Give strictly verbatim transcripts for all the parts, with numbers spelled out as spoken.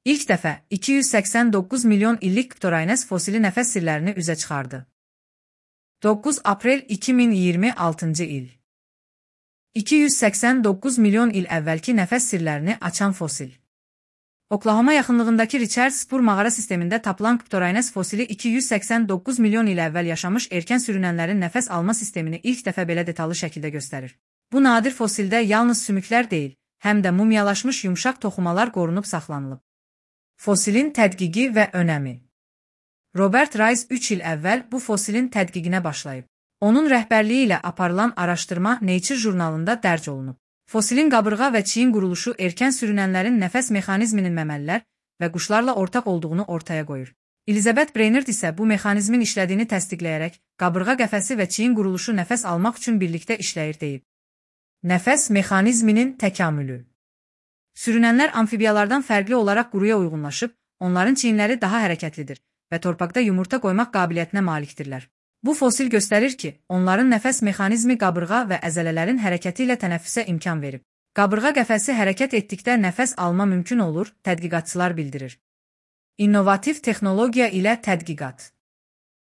İlk dəfə iki yüz səksən doqquz milyon illik Ptoraines fosili nəfəs sirlərini üzə çıxardı. doqquz aprel iki min iyirmi altıncı il. iki yüz səksən doqquz milyon il əvvəlki nəfəs sirlərini açan fosil. Oklahoma yaxınlığındakı Richards Spur mağara sistemində tapılan Ptoraines fosili iki yüz səksən doqquz milyon il əvvəl yaşamış erkən sürünənlərin nəfəs alma sistemini ilk dəfə belə detallı şəkildə göstərir. Bu nadir fosildə yalnız sümüklər deyil, həm də mumyalaşmış yumşaq toxumalar qorunub saxlanılıb. Fosilin tədqiqi və önəmi. Robert Rice üç il əvvəl bu fosilin tədqiqinə başlayıb. Onun rəhbərliyi ilə aparılan araşdırma Nature jurnalında dərc olunub. Fosilin qabırğa və çiyin quruluşu erkən sürünənlərin nəfəs mexanizminin məməlilər və quşlarla ortaq olduğunu ortaya qoyur. Elizabeth Brainerd isə bu mexanizmin işlədiyini təsdiqləyərək, qabırğa qəfəsi və çiyin quruluşu nəfəs almaq üçün birlikdə işləyir deyib. Nəfəs mexanizminin təkamülü. Sürünənlər amfibiyalardan fərqli olaraq quruya uyğunlaşıb, onların çiyinləri daha hərəkətlidir və torpaqda yumurta qoymaq qabiliyyətinə malikdirlər. Bu fosil göstərir ki, onların nəfəs mexanizmi qabırğa və əzələlərin hərəkəti ilə tənəffüsə imkan verib. Qabırğa qəfəsi hərəkət etdikdə nəfəs alma mümkün olur, tədqiqatçılar bildirir. İnnovativ texnologiya ilə tədqiqat.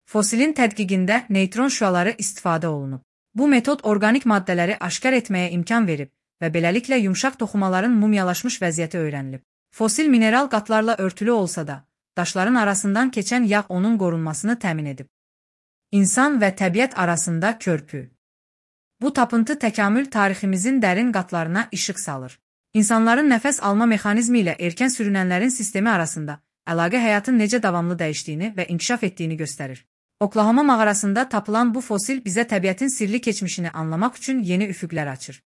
Fosilin tədqiqində neytron şüaları istifadə olunub. Bu metod orqanik maddələri aşkar etməyə imkan verib və beləliklə yumşaq toxumaların mumyalaşmış vəziyyəti öyrənilib. Fosil mineral qatlarla örtülü olsa da, daşların arasından keçən yağ onun qorunmasını təmin edib. İnsan və təbiət arasında körpü. Bu tapıntı təkamül tariximizin dərin qatlarına işıq salır. İnsanların nəfəs alma mexanizmi ilə erkən sürünənlərin sistemi arasında əlaqə həyatın necə davamlı dəyişdiyini və inkişaf etdiyini göstərir. Oklahoma mağarasında tapılan bu fosil bizə təbiətin sirli keçmişini anlamaq üçün yeni üfüqlər açır.